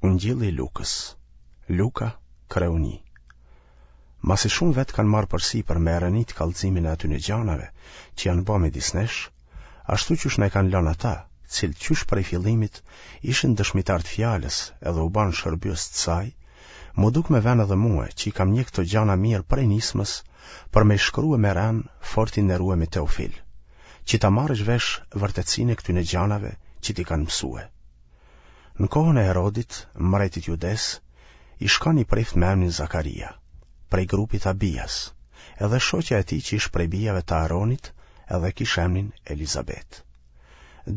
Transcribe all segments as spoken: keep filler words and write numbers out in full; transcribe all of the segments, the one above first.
Ungjilli i Lukës, Luka, kreu një. Masi shumë vetë kanë marrë përsipër me e renitë kallëzimin e atyne gjanave që janë ba midis nesh, ashtu qysh na e kanë lënë ata, cilët qysh prej fillimit ishin dëshmitarë të fjalës edhe u banë shërbyes të saj, m'u duk me ven edhe mue që i kam njek këto gjana mirë prej nismës për me i shkrue me ren fort i nderuemi Teofil, që ta marrësh vesh vërtetësinë e këtyne gjanave që t'i kanë mësue. Në kohën e Herodit, mbretit Judesë, ish kanë një prift me emnin Zakaria, prej grupit Abias, edhe shoqja e tij që ish prej bijave të Aronit, edhe kish emnin Elizabet.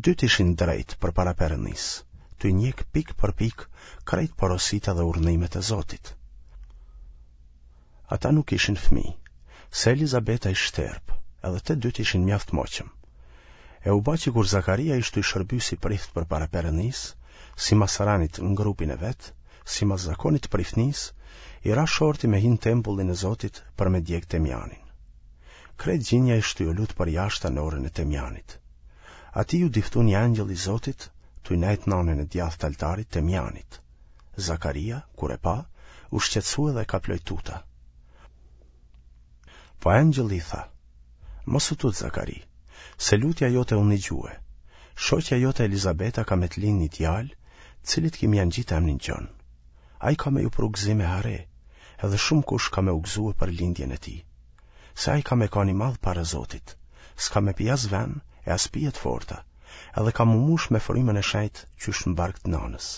Dytë ishin drejt përpara Perëndisë, tuj njek pikë për pikë krejt porositë edhe urdhnimet e Zotit. Ata nuk kishin fëmijë, se Elizabeta ish shterpë, edhe të dytë ishin mjaft moqëm. E u ba që kur Zakaria ish tuj shërby si prift përpara Perëndisë, simas renit në grupin e vet, simas zakonit të priftnisë, i ra shorti me hi në tempullin e Zotit për me djeg temjanin. Krejt gjinja ish tuj u lut përjashta në orën e temjanit. Atij iu diftu një engjëll i Zotit, tuj nejt n'anën e djathtë të altarit temjanit. Zakaria, kur e pa, u shqetësua dhe e kaploi tuta. Po engjëlli i tha, Mos u tut, Zakari, se lutja jote u nigjue. Shoqja jote Elizabeta ka me të lind një djalë, cilit ki me ia ngjit emnin Gjon. Ai ka me ju pru gëzim e hare, edhe shumëkush ka me u gëzue për lindjen e tij. Se ai ka me kanë i madh para Zotit, s'ka me pi as ven e as pije të forta, edhe ka m'u mush me frymën e shenjtë qysh në bark të nanës.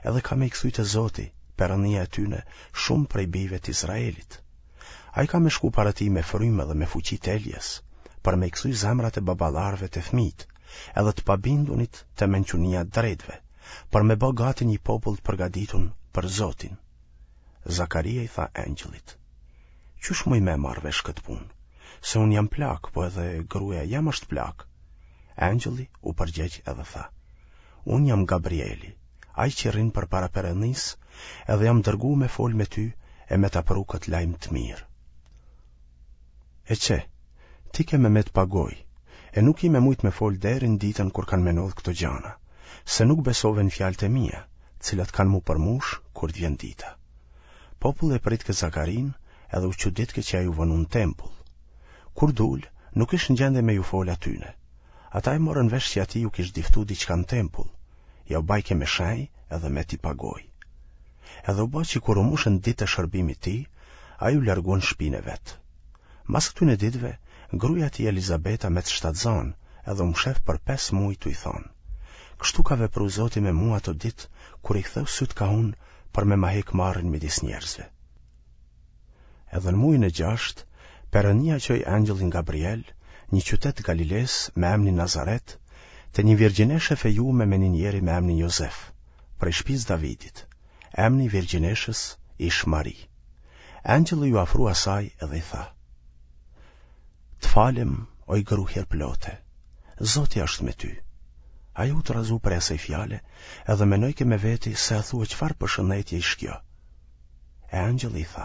Edhe ka me i kthy te Zoti, Perëndia e tyne, shumë prej bijve të Izraelit. Ai ka me shku para tij me frymë dhe me fuqi të Elias, për me i kthy zemrat e baballarëve te fëmijët, edhe të pabindunit te mençunia e të drejtëve, për me bë gati një popull të përgatitun për Zotin. Zakaria i tha engjëllit: Qysh muj me marrë vesh këtë punë? Se unë jam plak, po edhe gruaja jem është plakë. Engjëlli u përgjegj edhe tha: Unë jam Gabrieli, ai që rrin përpara Perëndisë, edhe jam dërgu me fol me ty e me ta pru këtë lajm të mirë. E qe, ti ke me met pa gojë, e nuk ki me mujt me fol deri në ditën kur kanë me ndodhë këto gjana, se nuk besove në fjalët e mia, të cilat kanë m'u përmush kur të vjen dita. Populli e pritke Zakarinë edhe u çuditke që ai u vonu në tempull. Kur dul, nuk ish në gjendje me ju fol atyne. Ata e morën vesh që atij ju kish diftu diçka në tempull, jau bajke me shenjë edhe meti pa gojë. Edhe u ba që kur u mushën ditët e shërbimit tij, ai u largu në shpinë e vet. Mas këtyne ditëve, gruaja e tij Elizabeta met shtatzanë edhe u mshef për pesë muaj tuj thonë: Kështu ka vepru Zoti me mua ato ditë kur i ktheu sytë ka unë për me ma hek marren midis njerëzve. Edhe në mujin e gjashtë, Perënia çoi engjëllin Gabriel, një qytet të Galilesë me emnin Nazaret, te një virgjineshë e fejume me një njeri me emnin Jozef, prej shtëpisë Davidit. Emni i virgjineshës ish Mari. Engjëlli iu afru asaj edhe i tha: Të falem, oj gru hirplote, Zoti është me ty. Ajo u trazu prej asaj fjale, edhe menojke me veti se a thua çfarë përshëndetje ish kjo. E engjëlli i tha: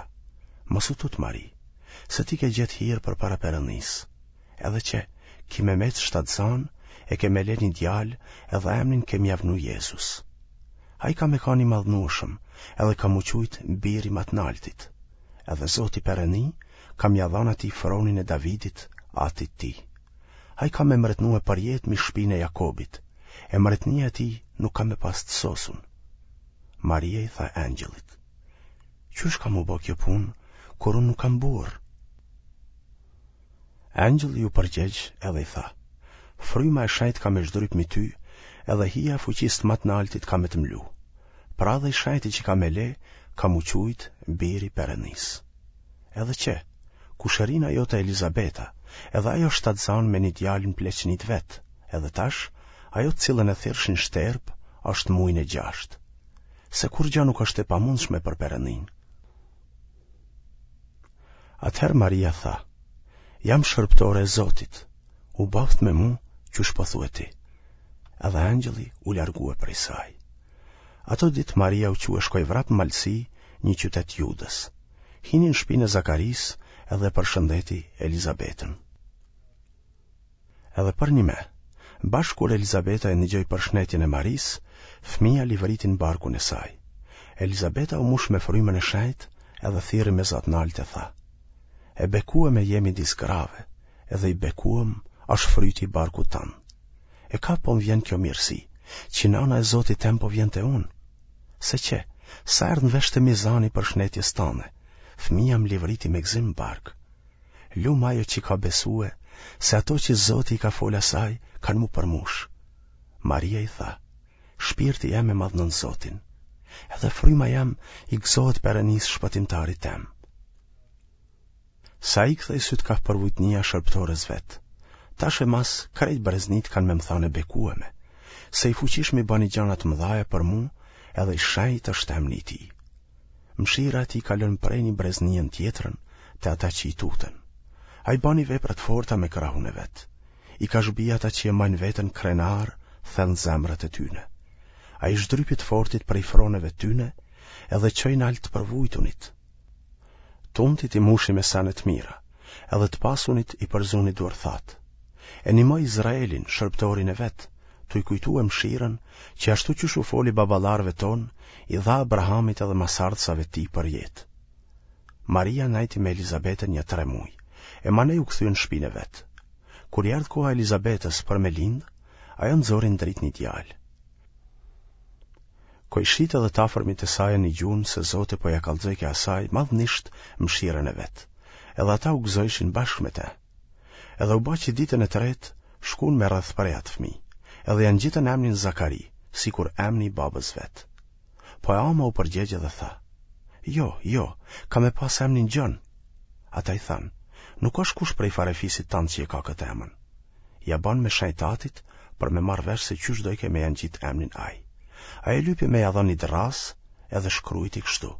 Mos u tut Mari, se ti ke gjetë hir përpara Perëndisë. Edhe qe, ki me met shtatzanë, e ke me le një djalë, edhe emnin ke me ia vnu Jezus. Ai ka me kanë i madhnueshëm, edhe ka m'u qujt biri ma të naltit. Edhe Zoti Perëni ka me ia dhanë atij fronin e Davidit, atit tij. Ai ka me mretnue përjetë mi shpinë e Jakobit, e mretnia e tij nuk ka me pas të sosun. Maria i tha engjëllit: Qysh ka m'u bo kjo punë, kur unë nuk kam burrë? Engjëlli iu përgjegj edhe i tha: Fryma e shenjtë ka me zhdryp mi ty, edhe hija e fuqisë të ma të naltit ka me të mlu. Pra edhe i shenjti që ka me le, ka m'u qujt biri Perëndisë. Edhe qe, kushërina jote Elizabeta, edhe ajo shtatzanë me një djalë në pleqni të vet, edhe tash, ajo të cilën e thirrshin shterpë, është mujin e gjashtë. Se kurrgjë nuk është e pamundshme për Perëndinë. Atëherë Maria tha: Jam shërbëtore e Zotit, u bëftë me mu qysh po thue ti. Edhe engjëlli u largue prej saj. Ato ditë Maria u çu e shkoi vrap në malësi, një qytet Judës. Hini në shpinë e Zakarisë edhe përshëndeti Elizabetën. Edhe përnjëme, bash kur Elizabeta e nigjoi përshnetjen e Marisë, fëmija livriti në barkun e saj. Elizabeta u mush me frymën e shenjtë edhe thirri me za t'naltë e tha: E bekueme je midis grave, edhe i bekuem është fryti i barkut tand. E ka po më vjen kjo mirësi, që nana e Zotit tem po vjen te unë? Se qe, sa erdh në vesh te mi zani i përshnetjes tane, fëmija më livriti me gëzim në bark. Lum ajo që ka besue, se ato që Zoti i ka fol asaj, kanë m'u përmush. Maria i tha, shpirti jem e madhnon Zotin, edhe fryma jem i gëzohet Perënisë shpëtimtarit tem. Se ai ktheu sytë kah përvujtnia e shërbëtores vet. Tash e mas, krejt breznitë kanë me më thanë e bekueme, se i fuqishmi bani gjana të mëdhaja për mu, edhe i shenjtë është emni i tij. Mëshira e tij kalon prej një breznie në tjetrën, te ata që i tuten. Ai bani vepra të forta me krahun e vet. I ka zhbi ata që e majnë veten krenarë thellë në zemrat e tyne. Ai zhdrypi të fortit prej froneve tyne, edhe çoi nalt të përvujtunit. T'untit i mushi me sene të mira, edhe të pasunit i përzuni duarthatë. E nimoi Izraelin, shërbëtorin e vet, tuj kujtue mëshirën, që ashtu qysh u foli baballarëve tonë, i dha Abrahamit edhe masardhësave të tij përjetë. Maria nejti me Elizabetën nja tre muj, e manej u kthye në shpinë e vet. Kur i erdh koha Elizabetës për me lindë, ajo nxori në dritë një djalë. Kojshitë edhe të afërmit e saj e nigjunë se Zoti po ia kallxojke asaj madhnisht mëshirën e vet, edhe ata u gëzojshin bashkë me te. Edhe u ba që ditën e tretë shkun me rrethpre atë fëmijë, edhe ia ngjitën emnin Zakari, sikur emni i babës vet. Po e ama u përgjegj edhe tha, Jo, jo, ka me pas emnin Gjon. Ata i thanë, Nuk është kush prej farefisit tand që e ka këtë emën. Ia banë me shenjë t'atit për me marrë vesh se qysh dojke me ia ngjit emnin ai. Ai e lypi me ia dhanë një dërrasë edhe shkrujti kështu,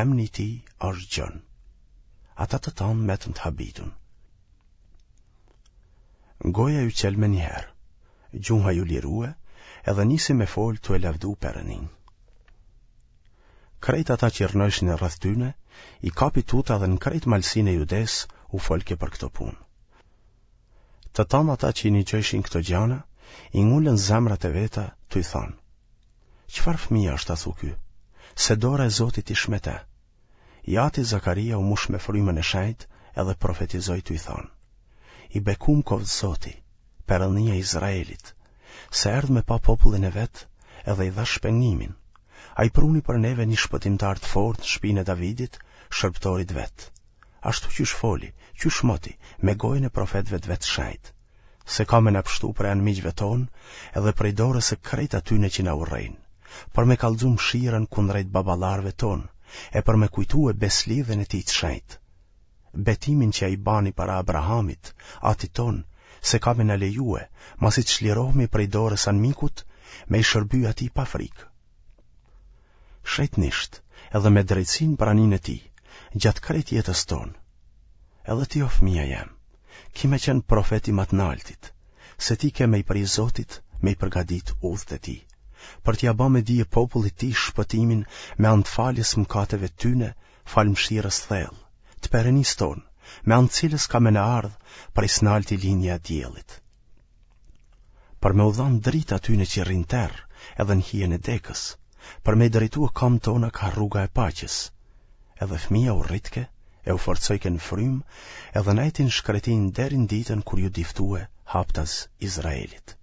Emni i tij është Gjon. Ata të tanë metën të habitun. Goja iu çel menjëherë, gjuha iu lirue edhe nisi me folë tu e lavdu Perëninë. Krejt ata që rrnojshin rreth tyne, i kapi tuta dhe në krejt malësinë e Judesë u folke për këto punë. Të tanë ata që i nigjojshin këto gjana, i ngulën zemrat e veta tuj thanë, Çfarë fëmija është athu ky? Se dora e Zotit ish me te. I ati Zakaria u mush me frymën e shenjtë edhe profetizoi tuj thanë, I bekum koftë Zoti, Perënia e Izraelit, se erdh me pa popullin e vet edhe i dha shpengimin. Ai pruni për neve një shpëtimtar të fortë në shpinë e Davidit, shërbëtorit vet. Ashtu qysh foli, qysh moti, me gojën e profetëve të vet shenjtë, se ka me na pshtu prej anmiqve tonë edhe prej dorës së krejt atyne që na urrejnë, për me kallxu mëshirën kundrejt baballarëve tonë, e për me kujtue beslidhjen e tij të shenjtë, betimin që ai bani para Abrahamit, atit tonë, se ka me na lejue, masi të çlirohemi prej dorës anmikut, me i shërby atij pa frikë. Shenjtnisht, edhe me drejtësi në praninë e tij, gjatë krejt jetës tonë. Edhe ti o fëmija jem, ki me qenë profet i Ma të Naltit, se ti ke me i pri Zotit me i përgadit udhët e tij, për t'ia ba me dije popullit tij shpëtimin me anë të faljes mëkateve tyne, falë mëshirës thellë, të Perënisë tonë, me anë të cilës ka me na ardhë prej s'nalti lindja e diellit. Për me u dhanë dritë atyne që rrinë n'terr edhe në hijen e dekës, për me i drejtue kamët tona ka rruga e paqes. Edhe fëmija u rritke e u forcojke në frymë edhe nejti në shkretinë deri në ditën kur iu diftue haptas Izraelit.